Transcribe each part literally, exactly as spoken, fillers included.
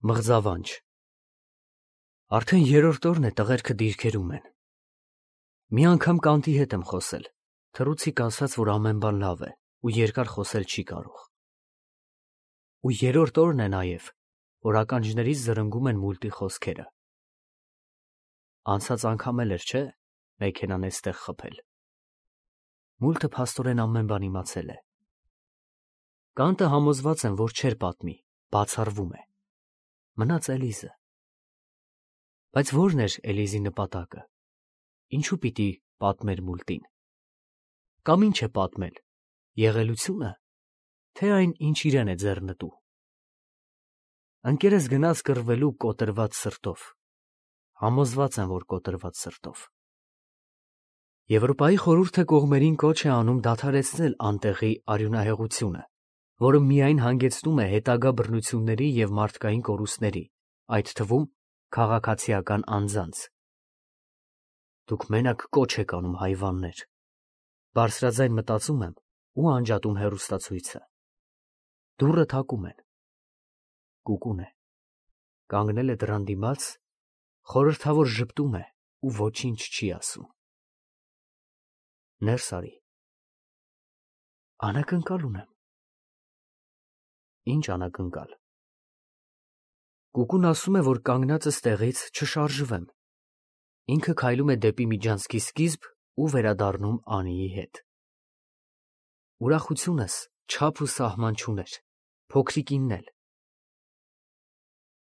Մղձավանջ Արդեն երրորդ օրն է տղերքը դիրքերում են։ Մի անգամ Կանտի հետ եմ խոսել, թռուցիկ ասաց, որ ամեն բան լավ է ու երկար խոսել չի կարող։ Ու երրորդ օրն է նաև, որ ականջներից զրնգում են մուլտի խոսքերը։ Անցած անգամ էլ էր, չէ՞, մեքենան էստեղ խփել։ Մուլտը փաստորեն ամեն բան իմացել է։ Կանտը համոզված եմ, որ չէր պատմի, բացառվում է։ Մնաց Էլիզը։ Բայց ո՞րն էր Էլիզի նպատակը։ Ինչու պիտի պատմեր մուլտին։ Կամ ինչ է պատմել, եղելությունը, թե այն, ինչ իրեն է ձեռնտու։ Ընկերս գնաց կռվելու կոտրված սրտով։ Համոզված եմ, որ կոտրված սրտով։ Եվրոպայի խորհուրդը կողմերին կոչ է անում դադարեցնել անտեղի արյունահեղությունը, որը միայն հանգեցնում է հետագա բռնությունների և մարդկային կորուստների, այդ թվում քաղաքացիական անձանց։ Դուք մենակ կոչ եք անում հայվաններ։ Բարձրաձայն մտածում եմ ու անջատում հեռուստացույցը։ Դուռը թակում են։ Կուկուն է։ Կանգնել է դռան դիմաց, խորհրդավոր ժպտում է ու ոչինչ չի ասում։ Ներս արի։ Անակնկալ ունեմ։ Ինչ անակնկալ։ Կուկուն ասում է, որ կանգնածս տեղից չշարժվեմ։ Ինքը քայլում է դեպի միջանցքի սկիզբ ու վերադառնում Անիի հետ։ Ուրախությունս չափ ու սահման չուներ, փոքրիկինն էլ։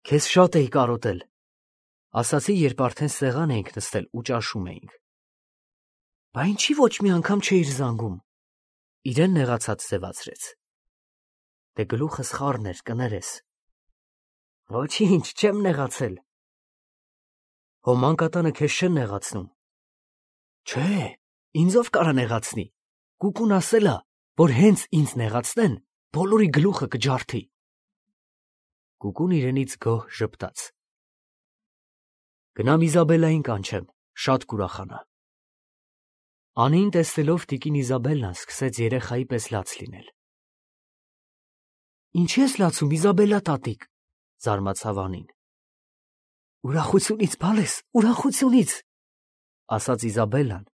Քեզ շատ էի կարոտել, ասացի, երբ արդեն սեղան էինք նստել ու ճաշում էինք։ Բա ինչի ոչ մի անգամ չէիր զանգում։ Իրեն նեղացած ձևացրեց։ Դե գլուխս խառն էր, կներես։ Ոչինչ, չեմ նեղացել։ Հո մանկատանը քեզ չեն նեղացնում։ Չէ, ինձ ով կարա նեղացնի։ Կուկուն ասել ա, որ հենց ինձ նեղացնեն, բոլորի գլուխը կջարդի։ Կուկուն իրենից գոհ ժպտաց։ Գնամ Իզաբելլային կանչեմ, շատ կուրախանա։ Անիին տեսնելով տիկին Իզաբելլան սկսեց երեխայի պես լաց լինել։ Ինչի ես լացում, Իզաբելլա տատիկ, զարմացավ Անին։ Ուրախությունից, բալես, ուրախությունից, ասաց Իզաբելլան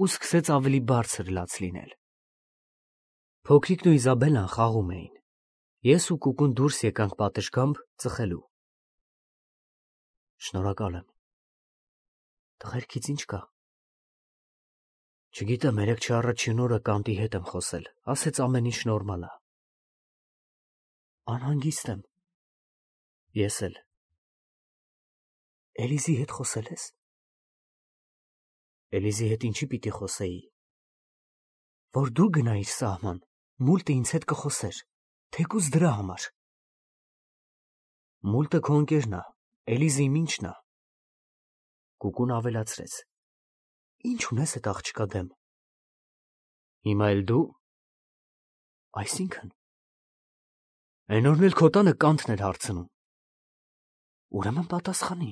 ու սկսեց ավելի բարձր լաց լինել։ Փոքրիկն ու Իզաբելլան խաղում էին։ Ես ու Կուկուն դուրս եկանք պատշգամբ ծխելու։ Շնորհակալ եմ։ Տղերքից ինչ կա։ Չգիտեմ, երեկ չառաջին օրը Կանտի հետ եմ խոսել, ասեց ամեն ինչ նորմալ ա։ Անհանգիստ եմ։ Ես էլ։ Էլիզի հետ խոսել ես։ Էլիզի հետ ինչի պիտի խոսեի։ Որ դու գնայիր սահման, մուլտը ինձ հետ կխոսեր, թեկուզ դրա համար։ Մուլտը քո ընկերն ա, Էլիզի ինչն ա։ Կուկուն ավելացրեց։ Ինչ ունես այդ աղջկա դեմ։ Հիմա էլ դու։ Այսինքն։ Այն օրն էլ քո տանը Կանտն էր հարցնում։ Ուրեմն պատասխանի։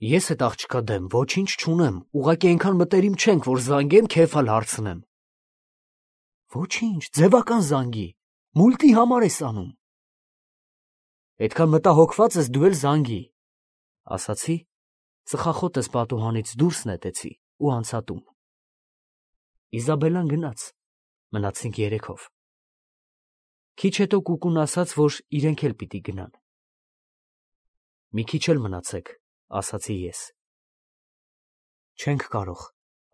Ես այդ աղջկա դեմ ոչինչ չունեմ, ուղղակի այնքան մտերիմ չենք, որ զանգեմ, քեֆ ալ հարցնեմ։ Ոչինչ, ձևական զանգի, մուլտի համար ես անում։ Այդքան մտահոգված ես դու էլ զանգի, ասացի, ծխախոտս պատուհանից դուրս նետեցի ու անցա տուն։ Իզաբելլան գնաց, մնացինք երեքով։ Քիչ հետո Կուկուն ասաց, որ իրենք էլ պիտի գնան։ Մի քիչ էլ մնացեք, ասացի ես։ Չենք կարող,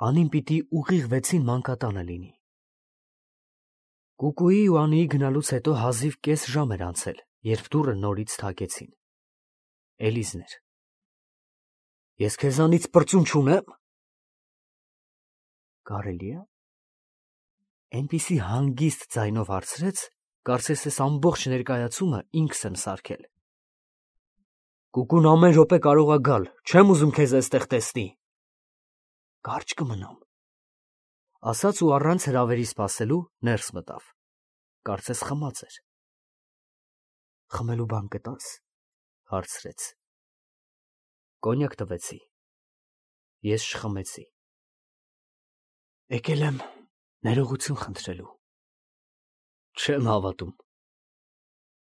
Անին պիտի ուղիղ վեցին մանկատանը լինի։ Կուկուի ու Անիի գնալուց հետո հազիվ կես ժամ էր անցել, երբ դուռը նորից թակեցին։ Էլիզն էր։ Ես քեզանից պրծուն չունեմ։ Կարելի է։ Այնպիսի հանգիստ ձայնով հարցրեց, կարծես ես ամբողջ ներկայացումը ինքս եմ սարքել։ Կուկուն ամեն րոպե կարող ա գալ, չեմ ուզում քեզ այստեղ տեսնի։ Կարճ կմնամ, ասաց ու առանց հրավերի սպասելու ներս մտավ։ Կարծես խմած էր։ Խմելու բան կտա՞ս, հարցրեց։ Կոնյակ տվեցի։ Ես չխմեցի։ Եկել եմ ներողություն խնդրելու։ Չեմ հավատում։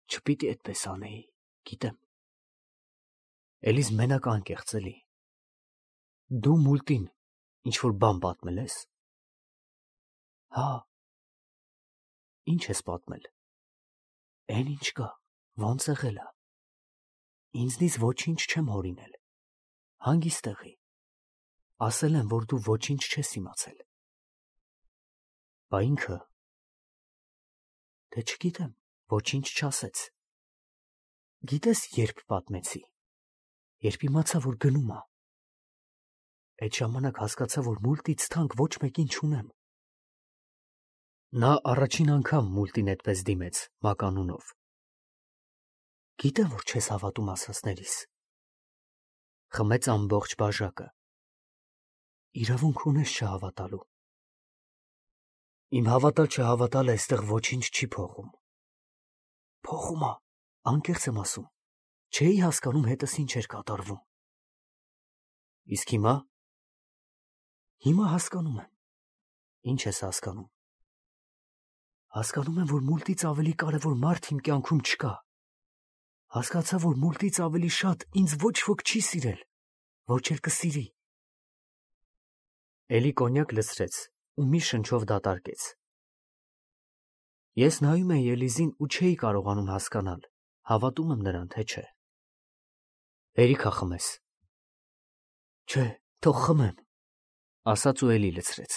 Չպիտի այդպես անեի։ Գիտեմ։ Էլիզ մենակ անկեղծ էլի։ Դու մուլտին ինչ-որ բան պատմել ես։ Հա։ Ինչ ես պատմել։ Էն ինչ կա, ոնց եղել է։ Ինձնից ոչինչ չեմ հորինել։ Հանգիստ եղի։ Ասել են, որ դու ոչինչ չես իմացել։ Բա ինքը։ Դե չգիտեմ, ոչինչ չասեց։ Գիտես, երբ պատմեցի, երբ իմացա, որ գնում ա։ Այդ ժամանակ հասկացա, որ մուլտից թանկ ոչ մեկին չունեմ։ Նա առաջին անգամ մուլտին այդպես դիմեց, մականունով։ Գիտեմ, որ չես հավատում ասածներիս։ Խմեց ամբողջ բաժակը։ Իրավունք ունես չհավատալու։ Իմ հավատալ չհավատալը այստեղ ոչինչ չի փոխում։ Փոխում ա, անկեղծ եմ ասում։ Չէի հասկանում հետս ինչ էր կատարվում։ Իսկ հիմա։ Հիմա հասկանում եմ։ Ինչ ես հասկանում։ Հասկանում եմ, որ մուլտից ավելի կարևոր մարդ իմ կյանքում չկա։ Հասկացա, որ մուլտից ավելի շատ ինձ ոչ ոք չի սիրել, ոչ էլ կսիրի։ Էլի կոնյակ լցրեց ու մի շնչով դատարկեց։ Ես նայում էի Էլիզին ու չէի կարողանում հասկանալ, հավատում եմ նրան, թե չէ։ Հերիք ա խմես։ Չէ, թող խմեմ, ասաց ու էլի լցրեց։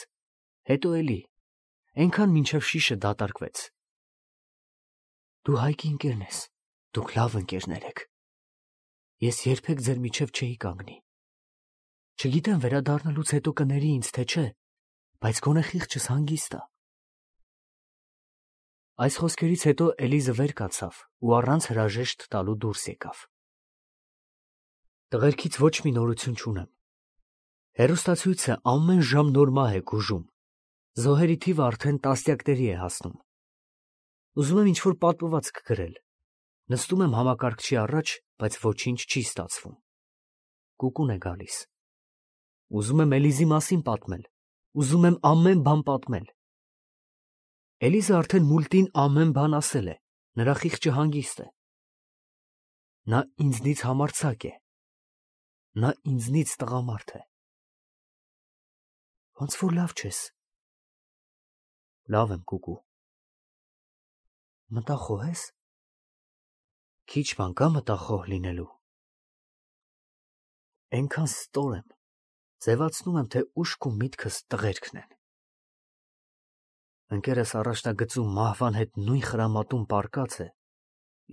Հետո էլի, այնքան մինչև շիշը դատարկվեց։ Դու Հայկի ընկերն ես, դուք լավ ընկերներ եք։ Ես երբեք ձեր միջև չէի կանգնի։ Չգիտեմ վերադառնալուց հետո կների ինձ, թե չէ, բայց գոնե խիղճս հանգիստ ա։ Այս խոսքերից հետո Էլիզը վեր կացավ ու առանց հրաժեշտ տալու դուրս եկավ։ Տղերքից ոչ մի նորություն չունեմ։ Հեռուստացույցը ամեն ժամ նոր մահ է գուժում։ Զոհերի թիվը արդեն տասնյակների է հասնում։ Ուզում եմ ինչ-որ պատմվածք գրել։ Նստում եմ համակարգչի առաջ, բայց ոչինչ չի ստացվում։ Կուկուն է գալիս։ Ուզում եմ Էլիզի մասին պատմել։ Ուզում եմ ամեն բան պատմել։ Էլիզը արդեն մուլտին ամեն բան ասել է։ Նրա խիղճը հանգիստ է։ Նա ինձնից համարձակ է։ Նա ինձնից տղամարդ է։ Ոնց որ լավ չես։ Լավ եմ, կուկու։ Մտախոհ ես։ Քիչ բան կա մտախոհ լինելու։ Էնքան ստոր եմ, ձևացնում եմ, թե ուշք ու միտքս տղերքն են։ Ընկերս առաջնագծում մահվան հետ նույն խրամատում պառկած է,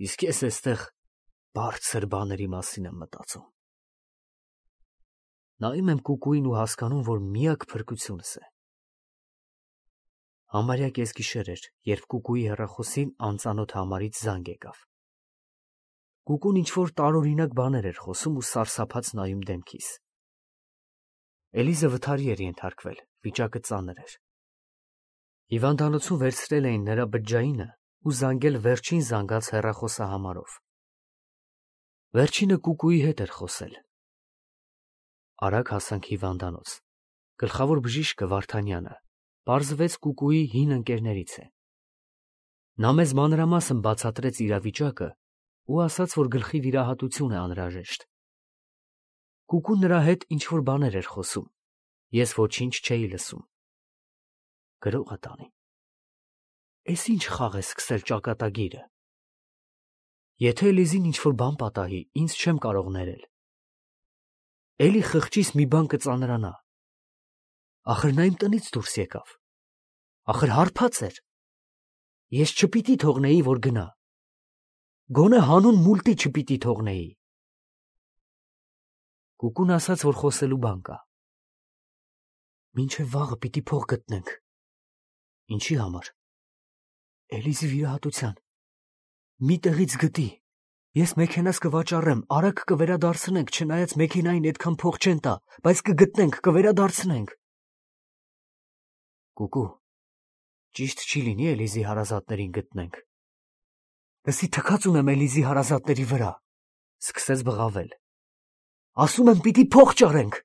իսկ ես էստեղ բարձր բաների մասին եմ մտածում։ Նայում եմ կուկուին ու հասկանում, որ միակ փրկությունս է։ Համարյա կեսգիշեր էր, երբ կուկուի հեռախոսին անծանոթ համարից զանգ եկավ։ Կուկուն ինչ-որ տարօրինակ բաներ էր խոսում ու սարսափած նայում դեմքիս։ Էլիզը վթարի էր ենթարկվել, վիճակը ծանր էր։ Հիվանդանոցում վերցրել էին նրա բջջայինը ու զանգել վերջին զանգած հեռախոսահամարով։ Վերջինը կուկուի հետ էր խոսել։ Արագ հասանք հիվանդանոց։ Գլխավոր բժիշկը Վարդանյանը պարզվեց կուկուի հին ընկերներից է։ Նա մեզ մանրամասն բացատրեց իրավիճակը ու ասաց, որ գլխի վիրահատություն է անհրաժեշտ։ Կուկուն նրա հետ ինչ-որ բաներ էր խոսում։ Ես ոչինչ չէի լսում։ Գրող ա տանի։ Էս ինչ խաղ է սկսել ճակատագիրը։ Եթե Էլիզին ինչ-որ բան պատահի, ինձ չեմ կարող ներել։ Էլի խղճիս մի բան կծանրանա։ Ախր նա իմ տնից դուրս եկավ։ Ախր հարբած էր։ Ես չպիտի թողնեի, որ գնա։ Գոնե հանուն մուլտի չպիտի թողնեի։ Կուկուն ասաց, որ խոսելու բան կա։ Մինչև վաղը պիտի փող գտնենք։ Ինչի համար։ Էլիզի վիրահատության։ Մի տեղից գտի։ Ես մեքենաս կվաճառեմ, արագ կվերադարձնենք, չնայած մեքենային այդքան փող չեն տա, բայց կգտնենք, կվերադարձնենք։ Կուկու, ճիշտ չի լինի Էլիզի հարազատներին գտնենք։ Լսի թքած ունեմ Էլիզի հարազատների վրա, սկսեց բղավել։ Ասում եմ, պիտի փող ճարենք։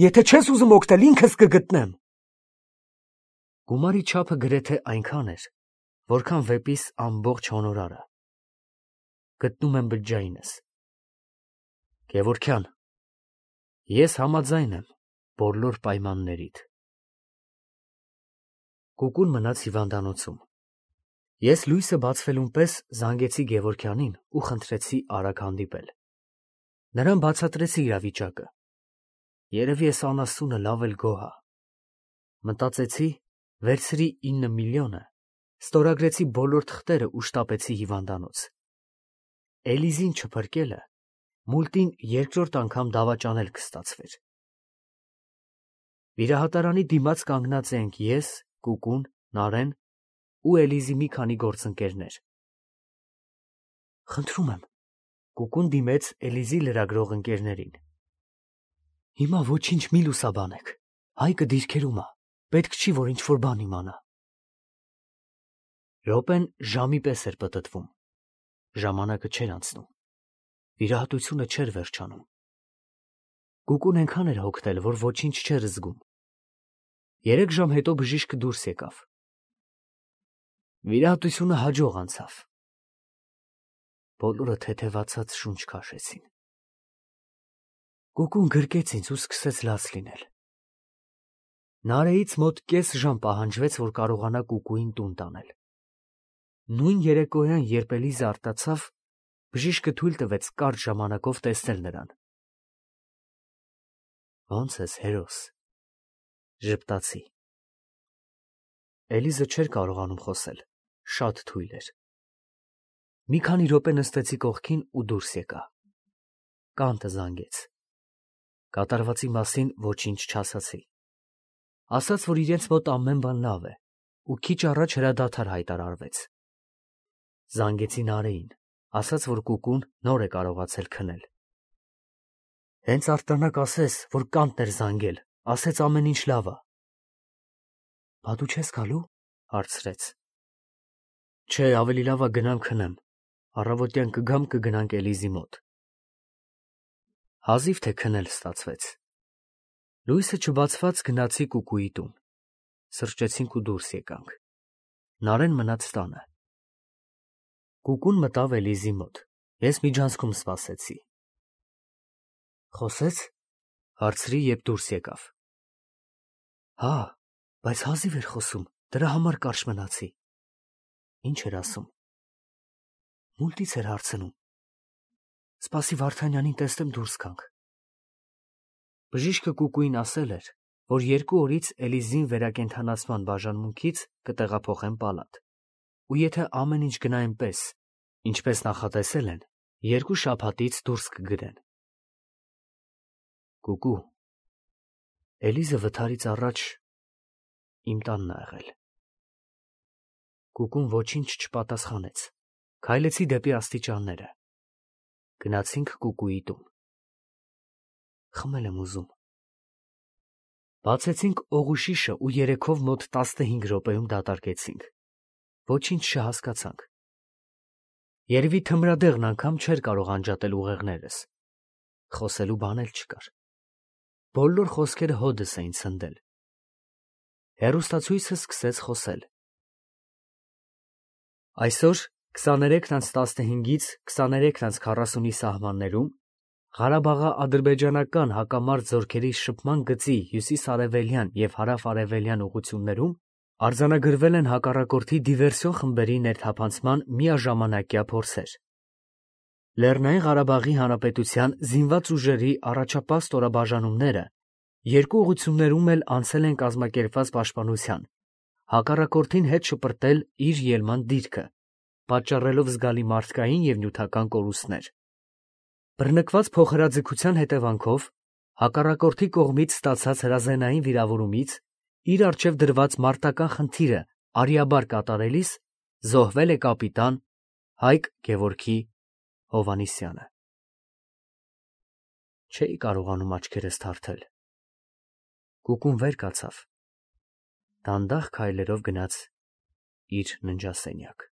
Եթե չես ուզում օգտել, ինքս կգտնեմ։ Գումարի չափը գրեթե այնքան էր, որքան վեպիս ամբողջ հոնորարը։ գտնում եմ բջջայինս։ Գևորգյան, ես համաձայն եմ բոլոր պայմաններիդ։ Կուկուն մնաց հիվանդանոցում։ Ես լույսը բացվելուն պես զանգեցի Գևորգյանին ու խնդրեցի արագ հանդիպել։ Նրան բացատրեցի իրավիճակը։ Երևի էս անասունը լավ էլ գոհ ա։ Մտածեցի, վերցրի ինը միլիոնը, ստորագրեցի բոլոր թղթերը ու շտապեցի հիվանդանոց։ Էլիզին չփրկելը մուլտին երկրորդ անգամ դավաճանել կստացվեր։ Վիրահատարանի դիմաց կանգնած ենք ես, Կուկուն, Նարեն ու Էլիզի մի քանի գործընկերներ։ Խնդրում եմ, Կուկուն դիմեց Էլիզի լրագրող ընկերներին։ Հիմա ոչինչ մի լուսաբանեք, Հայկը դիրքերում ա, պետք չի, որ ինչ-որ բան իմանա։ Րոպեն ժամի պես էր պտտվում, ժամանակը չէր անցնում, վիրահատությունը չէր վերջանում։ Կուկուն այնքան էր հոգնել, որ ոչինչ չէր զգում։ Երեք ժամ հետո բժիշկը դուրս եկավ։ Վիրահատությունը հաջող անցավ։ Բոլորը թեթևացած շունչ քաշեցին։ Կուկուն գրկեց ինձ ու սկսեց լաց լինել։ Նարեից մոտ կես ժամ պահանջվեց, որ կարողանա Կուկուին տուն տանել։ Նույն երեկոյան, երբ Էլիզը արտացավ, բժիշկը թույլ տվեց կարճ ժամանակով տեսնել նրան։ Ո՞նց ես, հերոս, ժպտացի։ Էլիզը չէր կարողանում խոսել, շատ թույլ էր։ Մի քանի րոպե նստեցի կողքին ու դուրս եկա։ Կանտը զանգեց։ Կատարվածի մասին ոչինչ չասացի։ Ասաց, որ իրենց մոտ ամեն բան լավ է, ու քիչ առաջ հրադադար հայտարարվեց։ Զանգեցի Նարեին, ասաց, որ Կուկուն նոր է կարողացել քնել։ Հենց արտանակ ասես, որ Կանտն էր զանգել, ասեց ամեն ինչ լավ ա։ Բա դու չես գալու, հարցրեց։ Չէ, ավելի լավ ա գնամ քնեմ, առավոտյան կգամ կգնանք Էլիզի մոտ։ Հազիվ թե քնել ստացվեց։ Լույսը չբացված գնացի Կուկուի տուն։ Սրճեցինք ու դուրս եկանք։ Նարեն մնաց տանը։ Կուկուն մտավ Էլիզի մոտ։ Ես միջանցքում սպասեցի։ Խոսեց, հարցրի, երբ դուրս եկավ։ Հա, բայց հազիվ էր խոսում, դրա համար կարճ մնացի։ Ինչ էր ասում։ Մուլտից էր հարցնում։ Սպասի Վարդանյանին տեսնեմ դուրս գանք։ Բժիշկը Կուկուին ասել էր, որ երկու օրից Էլիզին վերակենդանացման բաժանմունքից կտեղափոխեն պալատ, ու եթե ամեն ինչ գնա այնպես, ինչպես նախատեսել են, երկու շաբաթից դուրս կգրեն։ Կուկու, Էլիզը վթարից առաջ իմ տանն ա եղել։ Կուկուն ոչինչ չպատասխանեց։ Քայլեցի դեպի աստիճանները։ Գնացինք Կուկուի տուն։ Խմել եմ ուզում։ Բացեցինք օղուշիշը ու երեքով մոտ տասնհինգ րոպեում դատարկեցինք։ Ոչինչ չհասկացանք։ Երևի թմրադեղն անգամ չէր կարող անջատել ուղեղներս։ Խոսելու բան էլ չկար։ Բոլոր խոսքերը հոդս էին ցնդել։ Հեռուստացույցը սկսեց խոսել։ Այսօր քսաներեքն անց տասնհինգից քսաներեքն անց քառասունի սահմաններում Ղարաբաղա-ադրբեջանական հակամարտ զորքերի շփման գծի հյուսիս-արևելյան և հարավ-արևելյան ուղղություններում արձանագրվել են հակառակորդի դիվերսիոն խմբերի ներթափանցման միաժամանակյա փորձեր։ Լեռնային Ղարաբաղի Հանրապետության զինված ուժերի առաջապահ ստորաբաժանումները երկու ուղղություններում էլ անցել են կազմակերպված պաշտպանության, հակառակորդին հետ շպրտել իր ելման դիրքը, պատճառելով զգալի մարդկային և նյութական կորուստներ։ Բռնկված փոխհրաձգության հետևանքով հակառակորդի կողմից ստացած հրազենային վիրավորումից իր առջև դրված մարտական խնդիրը արիաբար կատարելիս զոհվել է կապիտան Հայկ Գևորգի Հովհաննիսյանը։ Չէի կարողանում աչքերս թարթել։ Կուկուն վեր կացավ, դանդաղ քայլերով գնաց իր ննջասենյակ։